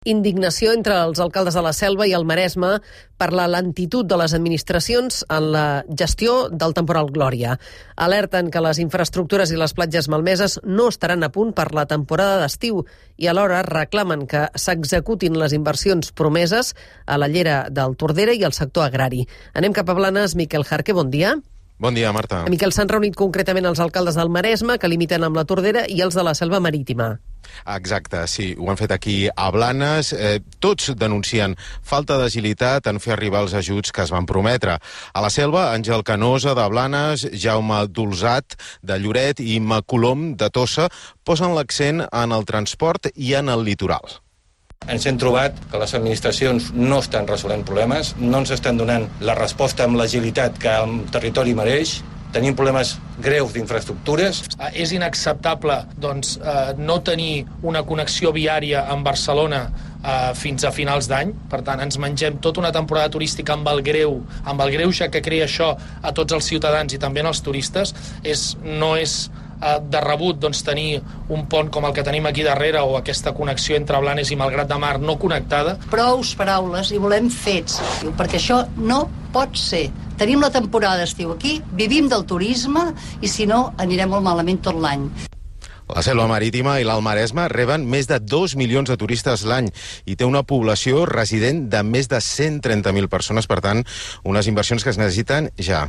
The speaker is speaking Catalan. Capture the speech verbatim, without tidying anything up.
Indignació entre els alcaldes de la Selva i el Maresme per la lentitud de les administracions en la gestió del temporal Glòria. Alerten que les infraestructures i les platges malmeses no estaran a punt per la temporada d'estiu i alhora reclamen que s'executin les inversions promeses a la llera del Tordera i al sector agrari. Anem cap a Blanes. Miquel Jarque, bon dia. Bon dia, Marta. Miquel, s'han reunit concretament els alcaldes del Maresme, que limiten amb la Tordera, i els de la Selva Marítima. Exacte, sí, ho han fet aquí a Blanes. Eh, tots denuncien falta d'agilitat en fer arribar els ajuts que es van prometre. A la Selva, Àngel Canosa, de Blanes, Jaume Dolzat, de Lloret, i Imma Colom, de Tossa, posen l'accent en el transport i en el litoral. Ens hem trobat que les administracions no estan resolent problemes, no ens estan donant la resposta amb l'agilitat que el territori mereix. Tenim problemes greus d'infraestructures. És inacceptable doncs, eh, no tenir una connexió viària amb Barcelona eh, fins a finals d'any. Per tant, ens mengem tota una temporada turística amb el greu, amb el greuge que crea això a tots els ciutadans i també als turistes. És, no és eh, de rebut doncs, tenir un pont com el que tenim aquí darrere o aquesta connexió entre Blanes i Malgrat de Mar no connectada. Prous paraules i volem fets, perquè això no pot ser. Tenim la temporada d'estiu aquí, vivim del turisme i si no anirem molt malament tot l'any. La Selva Marítima i l'Alt Maresme reben més de dos milions de turistes l'any i té una població resident de més de cent trenta mil persones, per tant, unes inversions que es necessiten ja.